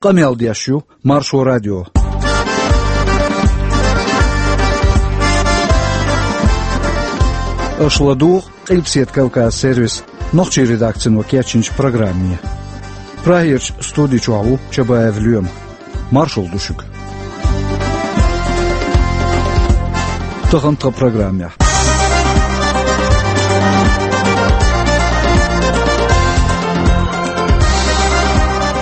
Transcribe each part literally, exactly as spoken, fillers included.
Къамел деш ю Маршо радио. Аша ладугӀу Къилбаседа Кавказ сервисан нохчийн редакцино кечйинчу программе. Прагерчу студи чохь ву Чабаев Лоьма. Маршалла ду шуьга. Тахана тхан программехь.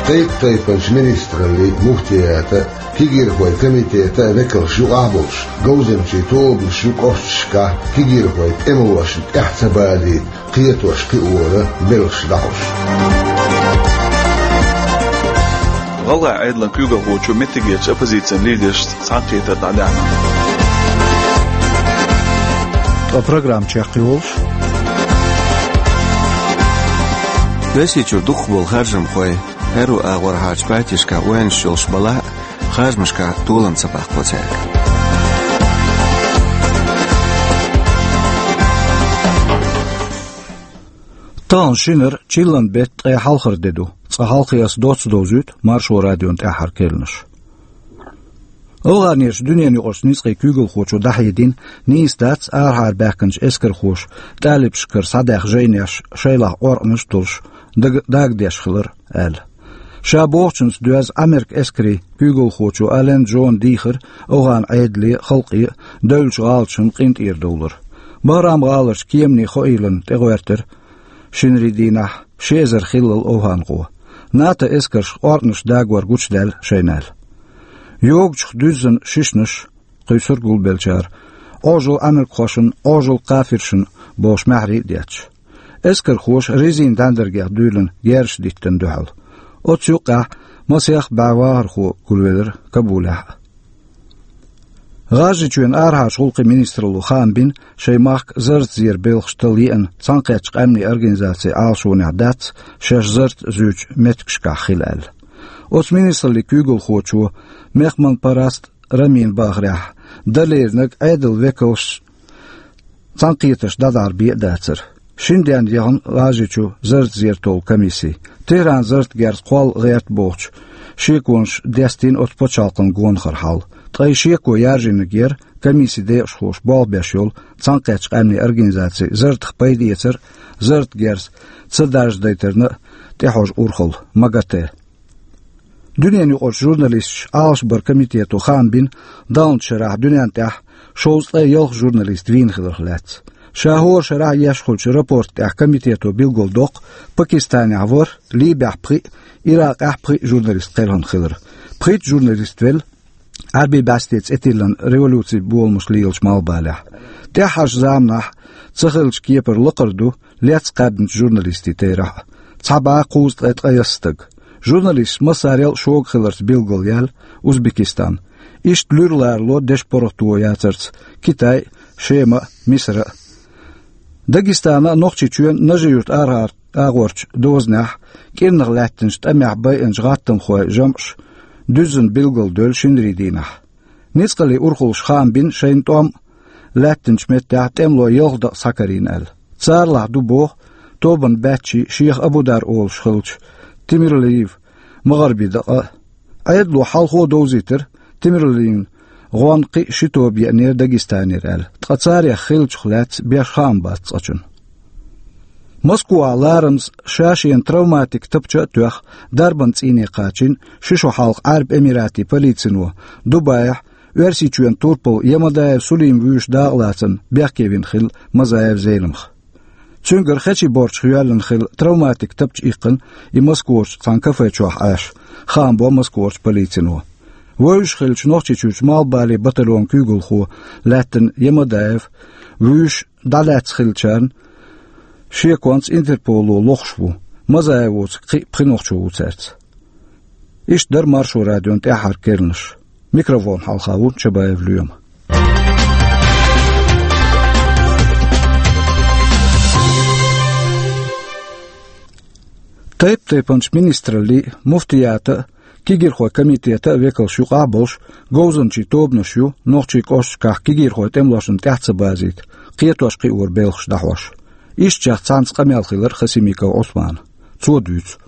Тайп-тайпанчу министраллин, муфтиятан, кегийрхойн комитетан векалш юкъахь болуш, говзанчийн тобанаш ю кӀошташкахь кегийрхойн тӀемалошна тӀаьхьа ца базийта кхетош кхиоран белхаш дӀахьош. ГӀалгӀайн Ӏедалан куьйгалхочо меттигерчу оппозицин лидершца цхьаьнакхетар дӀадаьхьна. Ткъа программа чекхйолуш: Оьрсийчуьра дукхахболу харжамхой аьрру агӀорхьарчу паччахьашкахь ойланаш йолуш балахь а, харжамашкахь толам ца баккхо цаьрга. Тахана шинара, чиллан беттан ткъе хьалхара де ду. Цкъа хьалхе аса доцца довзуьйту Маршо радион тӀаьххьара керланаш. АфгӀанерчу дуьненаюкъарчу ницкъийн куьйгалхочо дӀахьедина, нийса дац арахьара баьхкинчу эскархоша тӀалибашкара схьадаьхна жайнеш шайлахь оркъанаш а долуш, дага-, дагадеш хилар аьлла. Ша бохучуьнца доьзна Ӏамеркан эскарийн куьйгалхочо Ален Джона дийхира афгӀан Ӏедале а, халкъе а девллачу гӀалаташна къинтӀера довлар. Бахрам-гӀаларчу кеманийн хоийланна тӀегӀоьртира шинарийн дийнахь ши эзар хиллал афгӀанхо. НАТО эскарша оркъанаш дагор гучудаьлла шайна аьлла. Йогучух дуьззина шишнаш кхуьйсура гулбеллачара, Ӏожалла Ӏамеркахошна, Ӏожалла кафиршна бохуш маьхьарий а детташ. Эскархоша резин дӀаьндаргех дуьйлина герзаш диттина дуьхьал. Оцу юккъехь масех бӀе вахархо гулвелира Кабулехь а. ГӀажарийчоьнан арахьарчу гӀуллакхийн министралло хаам бина шайн махка зарратан зеран белхаш талла еана Цхьаьнакхеттачу Къаьмнийн Организацин Ӏалашонехь дац шаьш зарратан зуьйчу меттигашкахь хила аьлла. Оцу министраллин куьйгалхочо Мехманпараст Рамина бахарехь, дан леринарг Ӏедалан векалш цхьаьнакхетарш дӀадарбе а дацара. Шина денна яхана ГӀажарийчу зарратан зер толлу комисси. Техьрана зарратан герз кхолла гӀерта бохучу шеконаш дестийна оцу пачхьалкхан гонахара хьал. Ткъа и шеко яржийнарг яра комиссин декъашхоша болх беш йолу Цхьаьнакхеттачу Къаьмнийн Организацин зарратах пайда эцар а, зарратан герз ца даржадайтарна а тӀехьожу урхалла МАГАТЭ. Дуьненаюкъарчу журналисташ Ӏалашбаран комитето хаам бина, даханчу шарахь дуьненна тӀехь шовзткъе ялх журналист вийна хиларх лаьцна. Ша хӀора шарахь еш хуьлучу рапорта тӀехь комитето билгалдоккху, Пакистанехь ворхӀ, Либехь пхиъ, Иракъехь пхиъ журналист кхелхина хилар. Пхийтта журналист велла Ӏаьрбийн бӀаьсте цӀе тиллина революцин боламаш лелачу малхбалехь. ТӀаьххьарчу заманахь ца хиллачу кепара лакхара ду лецна кхаьбначу журналистийн терахь а, цхьа бӀе кхузткъе ткъайесна стаг. Журналисташ массарел а шога хиларца билгалъяьлла Узбекистан. Иштта луьра ларало дешан паргӀато яцарца Китай а, Шема а, Мисар а. Дагестана а, Нохчийчоьнан а Нажи-Юьртан арахьара агӀорчу дозанехь кӀирнах лаьттинчу тӀамехь байинчу гӀаттамхойн жамӀаша дуьззина билгалдевлла шинарийн дийнахь. Ницкъаллин урхаллаша хаам бина шайна тӀом лаьттинчу меттехь тӀемало ялх дакъа схьакарийна аьлла. Царалахь ду боху тобанан баьччий, шех Абудар олуш хиллачу Тимирлиев МагӀарби дакъа а. Ӏедало хьалхо а довзийтира, Тимирлиевн гӀонна кхин а ши тоба еанера Дагестанера аьлла, ткъа царех хиллачух лаьцна беш хаам бац цкъачунна. Москвахь ларамаза ша-шена травматикан тапча а тоьхна, дарбан цӀийне кхачийна ши шо хьалха Ӏаьрбийн Эмиратийн полицино Дубайхь Оьрсийчоьнан турпал Ямадаев Сулим вуьйш дакъалацарна бехке вина хилла Мазаев Зелимха. Цуьнгара хечийн борчах йоьллина хилла травматикан тапча иккхина и Москварчу цхьана кафе чохь Ӏаш, хаам бо Москварчу полицино. Вевзаш хиллачу Нохчийчуьрчу малхбален батальонан куьйгалхо лаьттина Ямадаев вуьйш дӀалаьцна хиллачарна шеконца Интерполо лохуш ву, Мазаевоцург кхин а пхи нохчо ву цаьрца. Иштта дара Маршо радион тӀаьххьара керланаш. Микрофон хьалха ву Чабаев Лоьма. Тайп-тайпанчу министраллин, муфтиятан а, кегийрхойн комитетан а векалш юкъахь а болуш, говзанчийн тобанаш ю нохчийн кӀошташкахь кегийрхойн тӀемалошна тӀаьхьа ца базийта кхетош-кхиоран белхаш дӀахьош. Ишттачех цхьаьнца къамел хилира Хасимиков Ӏусманан. Цо дуьйцу.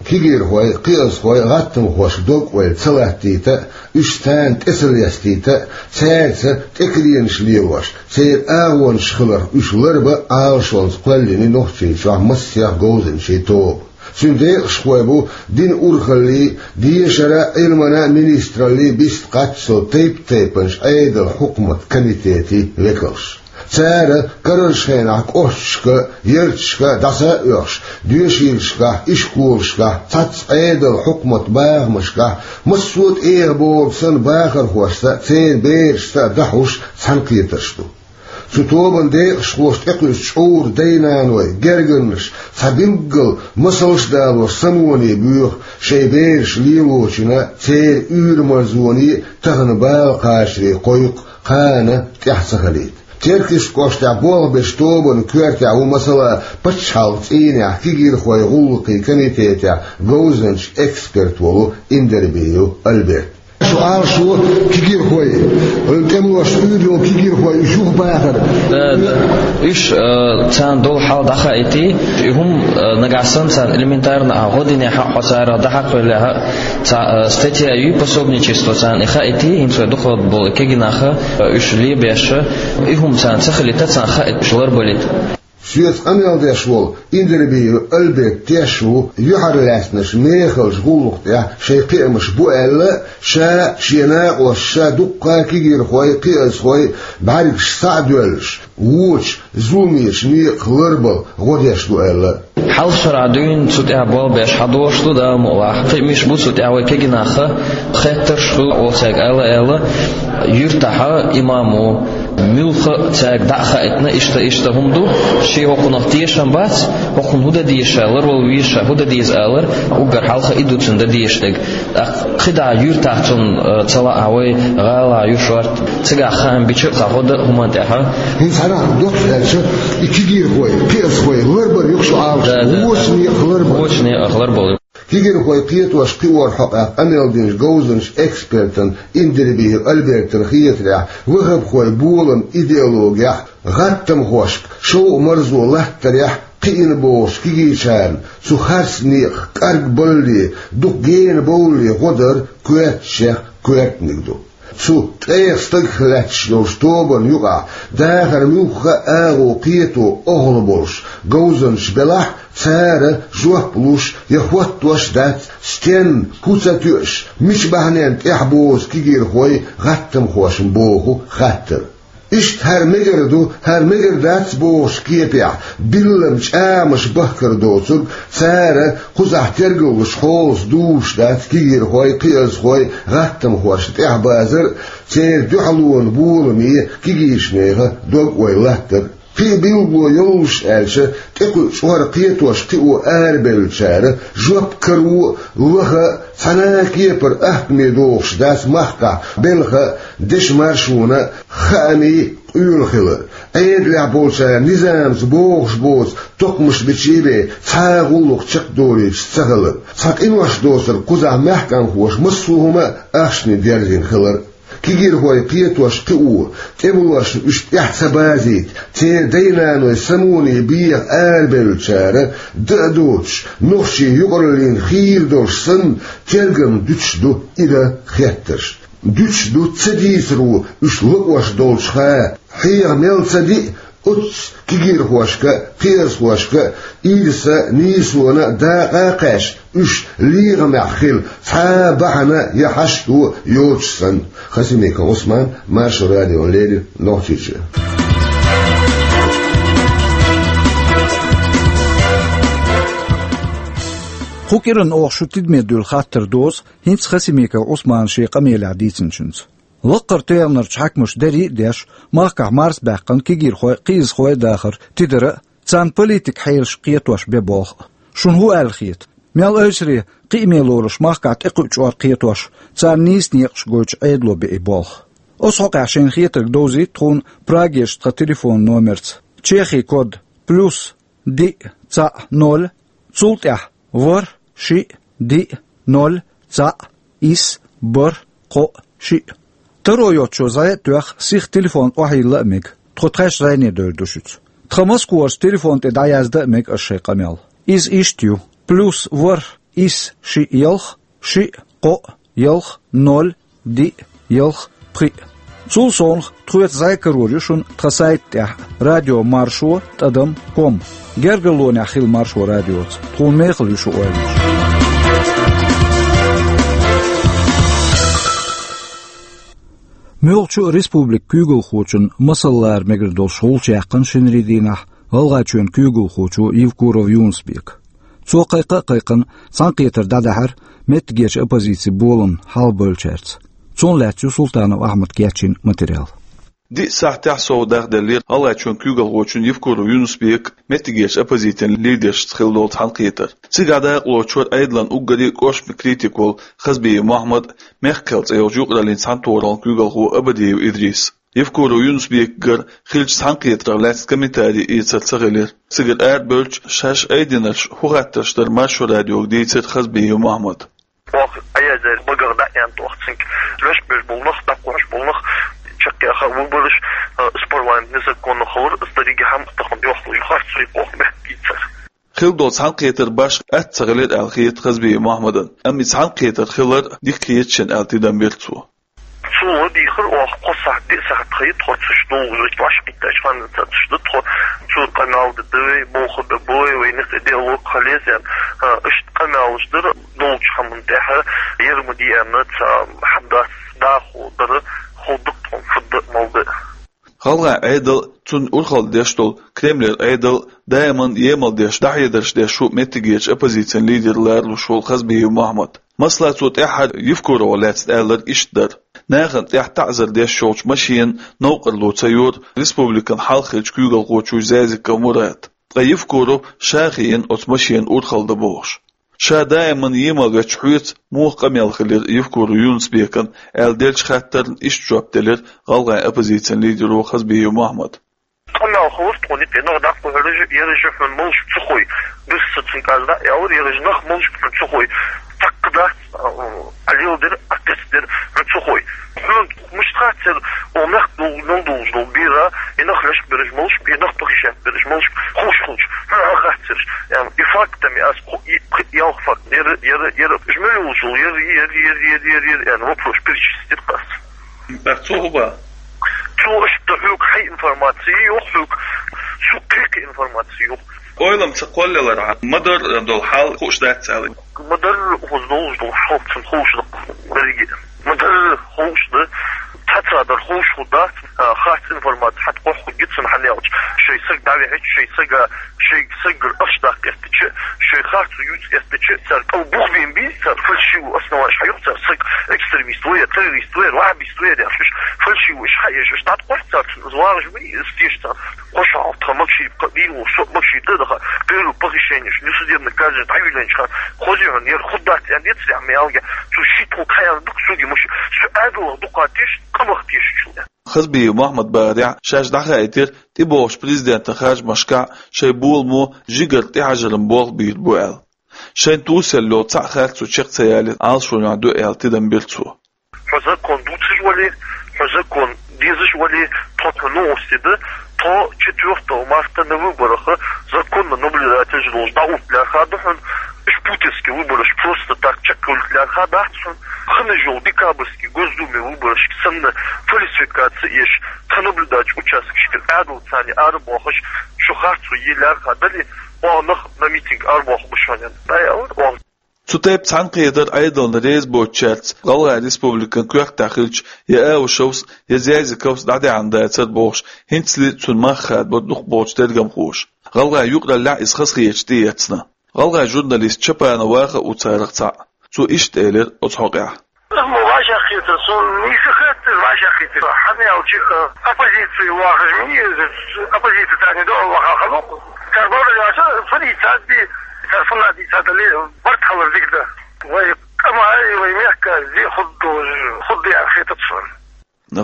Кегийрхой, кхиазхой гӀаттамхошка дог-ойла ца латтийта а, уьш царна тӀе ца лестийта а, цаьрца тӀекаренаш лелош, церан агӀонаш хиларх уьш ларбан Ӏалашонца кхоьллина Нохчийчохь массех говзанчийн тоба. Цуьнан декъашхой бу динан урхаллий, дешара а, Ӏилмана а министраллий бистта кхаччалц тайп-тайпанчу Ӏедалан хьукматан комитетийн векалш. Цара карарчу хенахь кӀошташка а, ярташка а дӀаса а оьхуш, доьшийлашкахь, ишколашкахь, цхьацца Ӏедалан хьукматан бахамашкахь, массо а тӀехболу санна бахархошца а, церан берашца а дӀахьуш цхьаьнакхетарш ду. Цу тобанан декъашхоша тӀекхуьуш чкъуран дай-наной, гергарнаш, цхьа билггал масалш а далош самоне боьху шайн бераш лелочунна, церан уьйр-марзоне а тахана бала кхачаре кхойкху, кхана тӀаьхьа ца хилийта. Теркйистан кӀоштехь болх бечу тобанан коьртехь ву, масала, пачхьалкхан цӀийнехь кегийрхойн гӀуллакхийн комитетехь говзанча эксперт волу Индербиев Альберт. Шу Ӏалашо кегийрхой, тӀемалошца уьйр йолу кегийрхой, уьш юха бахар. Да, да. Уьш, э, царна долу хьал дӀахаийти, и хӀума, э, нагахь санна царна элементарно а гӀо динехь а, хьо царах дӀахьакхавеллехь а, цхьа, э, статья ю пособничество царна и хаийти, хӀинца вай дукхах болу и кегий нах, э, уьш лебеш, и хӀума царна ца хилийта, царна хаийта, уьш ларбалийта. Соьца къамел деш волу Индербиев Альберт тешна ву юьхьарлаьцначу мехалчу гӀуллакх тӀехь шайн кхиамаш бу аьлла, ша а, шен накъосташа а дуккха а кегийрхой, кхиазхой бӀаьргаш схьа а доьллуш, вочу зуламечу некъах ларбала гӀо деш ду аьлла. Хьалха шарахь дуьйна цу тӀехь болх беш хьадогӀуш ду, Дала мукъалахь. Кхин миш бу цу тӀехь вай кегий нах, хеттарш хуьлу оцаьрга ала аьлла, юьртахь имам ву, муьлхха а цаьрга дӀа а хаийтина, иштта, иштта хӀума ду, шен хӀокхунах тешам бац, хӀокхунна хӀун дан деза ша, ларвала веза ша, хӀун дан деза алар, уггар хьалха и ду цунна дан дезаш дерг. ТӀаккха кхидӀа юьртахь цунна, э, ца лаахь вай, гӀала ю шорта, цигахь хаам бича а кхаьхьо дан а хӀуманна тӀехь. ХӀинца хьанах доццуш аьлча, и кегийрхой, кхиазхой ларбар юкъа шу Ӏалаш, да, да, вочу некъах ларбар. Вочу некъах ларбала. Кегийрхой кхетош кхиорах хьокъехь къамел динчу говзанчу экспертана Индербиев Альбертана хетарехь, ваххабхойн болан идеологехь, гӀаттамхошка шовкъ-марзо латтарехь кхиъна бохучу кегийчарна цу харц некъах кӀаргбаллале, дукха гена бовлале гӀо дар коьртачех коьртаниг ду. Цу ткъех стагах лаьтташ йолчу тобанна юкъахь дахар муьлхха а агӀо кхето охьалуш болуш говзанчаш белахь а, цара жоп луш я хӀоттош а дац, стенна, хӀун ца тоьуш, мича бахьаненна тӀехь бозу кегийрхой гӀаттамхошна боху хаттар. Иштта хӀара мегар ду, хӀара мегар дац бохучу кепехь, биллина чӀамаш бахкар доцург, цара кхузахь тергаллуш хьолаца дузуш дац кегийрхой, кхиазхой гӀаттамхошна тӀехь базар а, церан дуьхьалонан боламе кегийчу нехан дог-ойла латтар а. Кхин а билгало йолуш аьлча, тӀекхуьучу чкъор кхетош кхио арабевллачара жоп каро а, лаха а, цхьана а кепара ахкаме догӀуш дац махкахь белхан а, дешан маршонан а хаамийн къоьлла хилар, Ӏедалехь болчара низамца бохуш боцу токхамаш биче а бен, цхьа а гӀуллакх чекхдолуьйтуш ца хилар, цхьа къинош доцург кхузахь маьхкамхоша массо а хӀума а ахчане дерзийна хилар. Кегийрхой кхетош кхио, тӀемалошна уьш тӀаьхьа ца базийта, церан дай-наной самоне беха арабевллачара, дан а доцуш, нохчийн юкъараллина хийла долуш санна, тергамна дуьтуш ду и дан хеттарш. Дуьтуш ду ца дийцаро уьш лакъош долчуха, хьеха мел ца диъ, оццу кегийрхошка а, кхиазхошка а ирса а, нийсона а дакъа а кхаьчна, уьш легӀамехь хила цхьа а бахьана я хьашто йоцуш санна. Хасимиков Ӏусман, Маршо радиона леррина, Нохчийчоь. Кху кӀиранна оха шун тидаме дуьйла хаттар дозу хӀинца Хасимиков Ӏусмана шен къамелехь дийцинчуьнца. Лаккхара тӀегӀанарчу хьаькамаша дарий а деш, махкахь марсабаьккхина кегийрхой а, кхиазхой а дахар тидара а, царна политикан хьелаш кхетош бен болх а. Шуна хӀун аьлла хета? Мел ойсаре, кхиаме лоруш махкахь тӀекхуьучу чкъор кхетош, царна нийса некъаш гойтуш Ӏедало бен и болх? Оцу хьокъехь шайна хетарг довзийта тхуна Прагерчу тхан телефонан номерца. Чехин код: плюс диъ, цхьаъ, ноль, цул тӀаьхьа ворхӀ, шиъ, диъ, ноль, цхьаъ, исс, бархӀ, кхоъ, шиъ. Таро йоцучо зӀе а тоьхна, сиха телефон охьайилла а мега. Тхо тхаьш зӀене девр ду шуьца. Тхан Москварчу телефон тӀе дӀаязда а мега аша шайн къамел. Иза иштта ю: плюс ворхӀ, исс шиъ ялх, шиъ кхоъ ялх ноль диъ ялх пхиъ. Цул совнах тхоьца зӀамига карор ю шуна тхан сайта тӀехь радиомаршо тӀадам ком. Гергарлонехь хила Маршо радиоца, тхуна мехала ю шун ойланаш. Муьлххачу а республикан куьйгалхочун масал лара мегар долуш гӀулч яьккхина шинарин дийнахь ГӀалгӀайчоьнан куьйгалхочо Евкуров Юнус-Бека. Цо кхайкха а кхайкхина, цхьаьнакхетар дӀадахьара меттигерчу оппозицин боламна хьалхабевллачаьрца. Цунах лаьцна ю Султанов Ахьмада кечйина материал. Диъ сахьтехь сов дахделлера ГӀалгӀайчоьнан куьйгалхочун Евкуров Юнус-Бекан меттигерчу оппозицин лидершца хилла долу цхьаьнакхетар. Цигахь дакъалоцуш вара Ӏедалан уггаре а кӀоштан критик волу Хазбиев Мохьмад, «Мехк-Кхел» цӀе йолчу юкъараллин цхьаьнатохараллин куьйгалхо Абадиев Идрис. Евкуров Юнус-Бекагара хиллачу цхьаьнакхетарх лаьцна комментари эцар ца хилира. Цигара арабевлча, шаьш айдинарш хӀун хаттарш дара Маршо радиога дийцира Хазбиев Мохьмада. Оха Ӏаязер багах дӀа а яьнна, оха цуьнга леш берш болу нах, дӀакхоьхьуш болу нах, чекхъяха выбораш, а, из парламент незаконно хилар, из дерригехь хӀума тахана йохлуш, харц вай оха мехкийцар. Хилла долу цхьаьнакхетар башха атта ца хилира аьлла хета Хазбиев Мохьмадна, амма и цхьаьнакхетар хилар дика хета шена аьлла тидам бира цо. Цо дийхира оха кхо сахьт, диъ сахьт хьайта тхо цуьш долу, вуьш ваьш кхиттачу ханна ца цуьш ду тхо, цо къамел де ду вай, боху бе бу вай, вай некъ де ло кхалеза, а, иштта къамелаш дара, долчу хӀуманна тӀехь, яра ма дийна ца хьабдац дахо дара, хӀу дукха тхо фадда а мал де. ГӀалгӀайн Ӏедал, цунна урхалла деш долу Кремлера Ӏедал даиман емал деш, дӀахьедарш деш ву меттигерчу оппозицин лидер ларалуш волу Хазбиев Мохьмад. Масала, цо тӀаьххьара Евкуровах лаьцна аьлларг иштта дара. Нахана тӀехь таӀзар деш йолчу машенан новкъарло ца йора республикан хьалха хиллачу куьйгалхочо Зязиков Мурада. Ткъа Евкуров ша хиъна оцу машенан урхалла дан бохуш. Ша даиман емал ваьчча хьоьца муха къамел хилира Евкуров Юнус-Бекана аьлла деллачу хаттарна иштта жоп делира гӀалгӀайн оппозицин лидеро Хазбиев Мохьмада. Къамел хилира тхуна, и нах дӀакхухьура, яра хьуна малаш ца хой. Бирса цуьнга аз дӀа а аьллера, яра нах малаш хьуна ца хой. Цхьаккха дац, а, а леладира, а кхецдира хьуна ца хой. Хьуна муьста хаттар, о, мехкан долу, нал долуш долу бера, и нах леш бераш малаш, и нах похищать бераш малаш, хууш хилча, хьуна хаттарш. Эм, и фактами аз кху-, и, и ялх факт, яра, яра, яра, жмелюлжул, яра, яра, яра, яра, яра, яра, эм, вопрос перечислить ас. Так, цо хӀун боху? Цо иштта хьоьга хьайн информаци йоху хьоьга, цу кхин информаци йоху. Ойлам ца кхоллалара, ма-дарра долу хьал хууш дац аьлла. Ма-дарра хӀуз долуш долу хьал цунна хууш ду берриге. Ма-дарра хууш ду, цхьа цхьа дар хууш хӀу дац, а, харц информаци хьат кхохь хӀу гицун хьан ялча. Шайн саг дӀавихьича, шайн сага, шайн саггара аш даккха эттича, шайн харцо юьйца эттича, цара кӀал бух бен бий, цара фальшивый основанеш хьаюх, цара саг экстремист ву я, террорист ву я, ваххабист ву я, деш, уьш фальшивый уьш хьаеш, уьш дӀаткъош цара цунна, из вагӀаш вий, из теша цара. Кхо шо хьалха тхан Макшиев кхаъ дийна ву, со Макшиев тӀе а даха, первое похищение, несудебное казнь, дӀавиллинчу хана, хозий хьуна, яра хӀу дац, аьнна, децарехь ма ялга, цу шийтта хӀу кхайалла дукха суги муш, со Ӏадалах дукха теша, къамах тешачул. Хазбиев Мохьмад бахарехь, шаьш дӀахаийтира тӀебогӀучу президентан харжамашкахь шайн боламо жигара тӀехьажаран болх бийр бу аьлла. Шайн тусел йолу цхьаъ харцо чекх ца ялийта Ӏалашонехь ду аьлла тидам бира цо. Хьо закон дуцуш вале, хьо закон дезаш вале, тхо тхо новости ду, тхо четвёртого марта на выборах законно наблюдатель долуш дӀаутта лаьрхӀа ду хьуна, уьш путинский выбораш просто так чекхвалийта лаьрхӀа дац хьуна, хинна йолу декабрьский Госдуме выборашка санна фальсификаци еш, тхан наблюдачу участкашкара Ӏадал царна арабохуш, шу харцо е лаьрхӀа дали, оха нах на митинг арабоху бу шоьнан. ДӀаяла оха. Цу тайпа цхьаьнакхетар Ӏедална реза боцучаьрца ГӀалгӀайн Республикан коьртехь хиллачу я Аушевс, я Зязиковс дӀадаьхьна дацара бохуш, хӀинцале цунна мах хадабо дукхахболчу тергамхоша. ГӀалгӀайн юкъараллехь иза хазахеташ тӀеэцна. ГӀалгӀайн журналист Чапанов Ваха а ву царах цхьаъ. Цо иштта элира оцу хьокъехь. Ма вайшех хетара, суна нийса хетара, вайшех хетара. Хьан аьлча, э, оппозици вахаш ма еза, оппозици царна доӀа ваха хало. Цара бовлар яца, фу дийцад би, цара фунна дийцад али, барт хьалар дика да. Вай къамай, вай мехкан зе худдуж, худда яр хетац суна.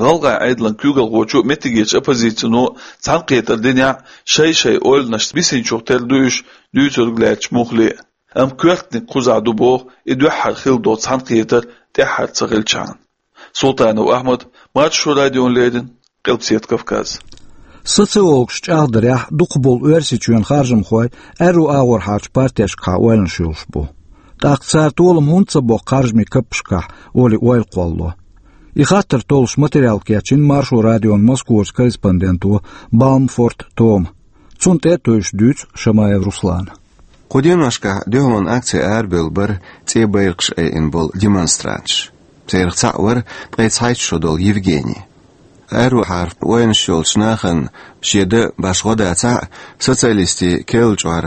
ГӀалгӀайн Ӏедалан куьйгалхочо а, меттигерчу оппозицино а цхьаьнакхетар динехь, шай-шай ойланаш бисинчух тера ду уьш, дуьйцург лаьтташ муххале а. Амма коьртаниг кхузахь ду боху и дуьххьара хилла долу цхьаьнакхетар тӀаьххьара ца хилчахьана. Султанов Ахьмад, Маршо радиона леррина, Къилбаседа Кавказ. Социологаш чӀагӀдарехь, дукхахболу Оьрсийчоьнан харжамхой аьрру агӀор хьарчу партешкахьа ойланаш йолуш бу. ТӀаккха цара толам хӀунда ца боккху харжамийн каппашкахь, олий, ойла кхоллало. И хаттар толлуш материал кечйина Маршо радион Москварчу корреспонденто Балмфорт Тома. Цунна тӀе а тевжаш дуьйцу Шамаев Руслана. Кху деношкахь дуьхьалонан акци арабевлла бара цӀе байракхаш айина болу демонстранташ. Царах цхьаъ вара ткъе цхьайтта шо долу Евгений. Аьррухьара ойланаш йолчу нахана шен дан башха гӀо дацахь а, социалистийн керла чкъор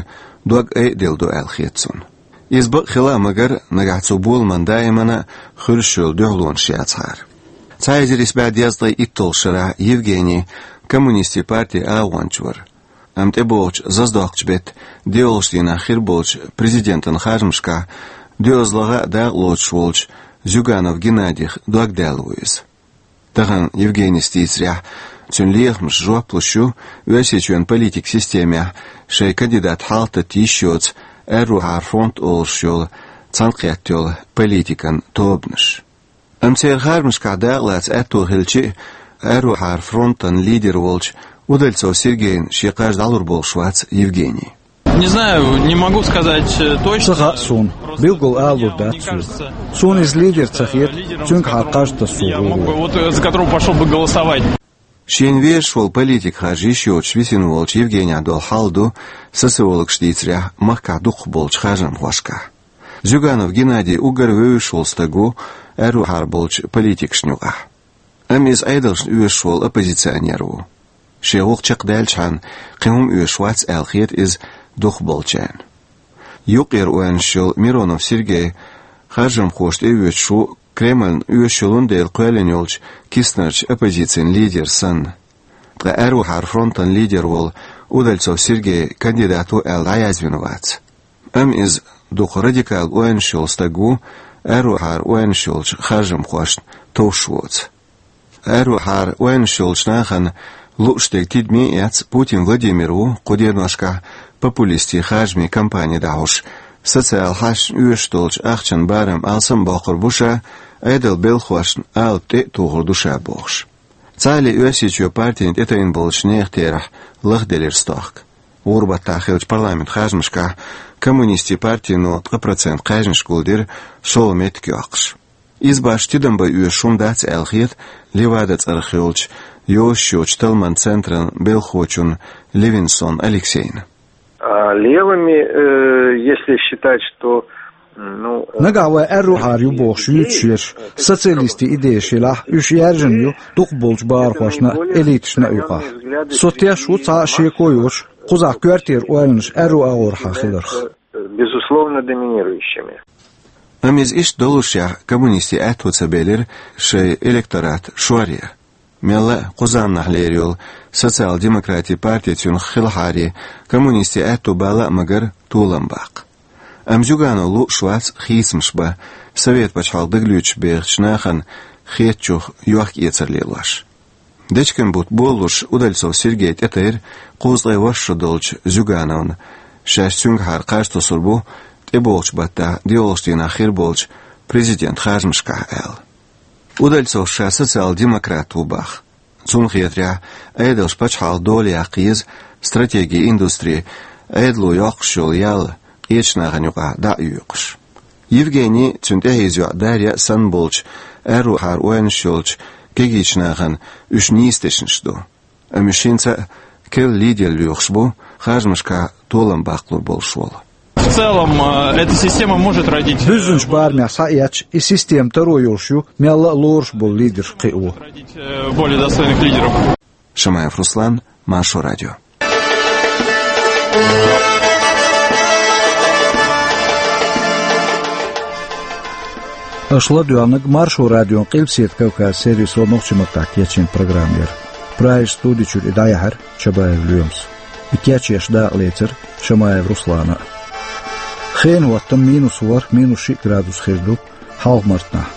дог айаделла ду аьлла хета цунна. Иза бакъ хила а магар, нагахь цу боламан даимана а хуьлуш йолу дуьхьалонаш яцахьара. Цхьа эзар исс бӀе дезткъе итталгӀачу шарахь Евгений коммунистийн партин агӀонча вара. Амма тӀебогӀучу зазадоккхучу беттан доьалгӀачу дийнахь хир болчу президентан харжамашкахь доьазлагӀа а дакъалоцуш волчу Зюганов Геннадих дог даьлла ву иза. Тахана Евгенийс дийцарехь, цуьнан лехамашна жоп луш ю Оьрсийчоьнан политикан системехь шайн кандидат хьалхататта йиш йоцу Аьррухьара фронт олуш йолу цхьаьнакхетта йолу политикан тобанаш. Амма церан харжамашкахь дакъалаца аьтто хилча а, Аьррухьара фронтан лидер волчу Удальцов Сергейна шен кхаж дӀалур болуш вац Евгений. Не знаю, не могу сказать, э, точно. Ца хаьа суна, билггал алалур дац суна. Суна иза лидер ца хета, цуьнгахьара кхаж тасо гӀур ву. Я могу, вот, э, за которого пошёл бы голосовать. Шена везаш волу политикан харж йиш йоцуш висина волчу Евгенийна долу хьал ду, социологаша дийцарехь, махкахь дукхахболчу харжамхошкахь. Зюганов Геннадий уггар вевзаш волу стаг ву Аьррухьара болчу политикашна юкъахь. Амма иза Ӏедалшна оьшуш волу оппозиционер ву. Шен гӀуллакх чекхдаьллачхьана кхин хӀума оьшуш вац аьлла хета иза дукхахболчарна. Юккъера ойланаш йолу Миронов Сергей харжамхошна тӀеоьцуш ву Кремльна оьшуш йолун дела кхоьллина йолчу Киснерчу оппозицин лидер санна. Ткъа Аьррухьара фронтан лидер волу Удальцов Сергей кандидат ву аьлла дӀаязвина вац. Амма иза дукха радикал ойланаш йолу стаг ву, Аьррухьара ойланаш йолчу харжамхошна товш воцу. Аьррухьара ойланаш йолчу нахана лууш дерг тидаме а эцна, Путин Владимир ву кху деношкахь популистийн харжамийн кампани дӀахьош, социал хьашташна оьшуш долчу ахчан барам алсам а боккхур бу ша, Ӏедалан белхахошна алапа тӀе а тухур ду ша бохуш. Цхьаалле Оьрсийчоь партина тӀетайна болчу нехан терахь лахделира стохка. ГӀуран баттахь хиллачу парламентан харжамашкахь коммунистийн партино ткъа процент кхаьжнаш гулдира, шолгӀа меттиг йоккхуш. Иза башха тидам бан оьшуш хӀума дац аьлла хета Левада цӀарах йолчу йозуш йоцчу талламан центран белхахочунна Левинсон Алексейна. А левыми, э, если считать, что, м, ну, э, Нагахь вай Аьррухьара ю бохуш юьйцуш ерш, социалистийн идеяш елахь, уьш яьржина ю дукхахболчу бахархошна а, элиташна а юкъахь. Со теш ву цхьа а шеко йоцуш, кхузахь коьртера ойланаш аьрру агӀорхьа хиларх. Безусловно, доминирующими. Амма иза иштта доллушехь, коммунистийн аьтто ца белира шайн электорат шоръян. Мелла а кху заманахь лерина йолу социал-демократийн парти цуьнах хилахьара, коммунистийн аьтто бала а магар, толам баккха. Амма Зюганов лууш вац хийцамаш бан, совет пачхьалкх дагалоьцуш бехачу нахана хетачух йохк-эцар лелош. Дечкен-бутт болалуш Удальцов Сергей тӀетайра кхузткъе ворхӀ шо долчу Зюгановна, шаьш цуьнгахьара кхаж тосур бу тӀебогӀучу баттахь доьалгӀачу дийнахь хир болчу президентан харжамашкахь аьлла. Удальцов ша социал-демократ ву боху. Цунна хетарехь, Ӏедалша пачхьалкхан дола яккха еза, стратегин индустри, Ӏедало йоккхуш йолу ял къечу нахана юкъахь дӀа а йоькъуш. Евгений, цуьнан тӀехьийза йоӀ Дарья санна болчу, аьррухьара ойланаш йолчу кегийчу нахана уьш нийса дешнаш ду. Амма уьш хӀинца а керла лидер лоьхуш бу, харжамашкахь толам баккхалур болуш волу. В целом, э, эта система может родить, э, Буьззинчу барамехь схьаэцча, и система таро йолуш ю, мелла а лоруш болу лидерш кхио. Родить, э, более достойных лидеров. Шамаев Руслан, Маршо радио. Аша ладоьгӀнарг Маршо радион Къилбаседа Кавказ сервисо нохчийн маттахь кечйина программа яра. Прагерчу студи чуьра и дӀаяьхьира Чабаев Лоьмас. И кечъеш дакъалецира Шамаев Руслана а. Хенан хӀоттам минус ворхӀ, минус шиъ градус хир ду Хьалха-Мартанахь.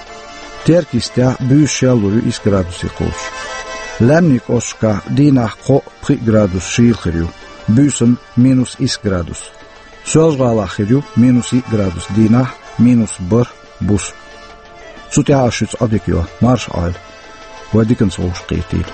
Теркйистехь буьйса шел лур ю исс градусе кхочуш. Лаьмнийн кӀошташкахь дийнахь кхоъ, пхиъ градус шийла хир ю, буьйсанна минус исс градус. Соьлжа-ГӀалахь хир ю минус йиъ градус дийнахь, минус бархӀ буса. Цу тӀехь ас шуьца Ӏодика йо, марша Ӏойла. Вай диканца вовшахкхетийла.